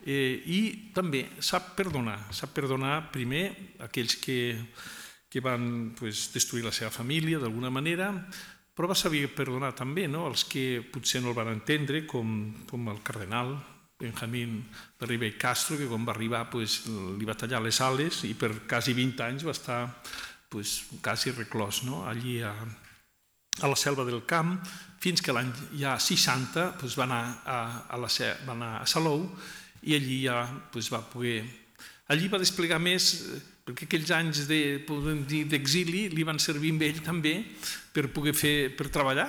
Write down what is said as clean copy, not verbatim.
I també sap perdonar primer aquells que van destruir la seva família d'alguna manera, però va saber perdonar també els que potser no el van entendre, com el cardenal Benjamín de Ribey Castro, que quan va arribar li va tallar les ales i per quasi 20 anys va estar quasi reclòs allí a la selva del camp, fins que l'any ja 60 va anar a Salou i allí ja va poder... Allí va desplegar més, perquè aquells anys d'exili li van servir a ell també per treballar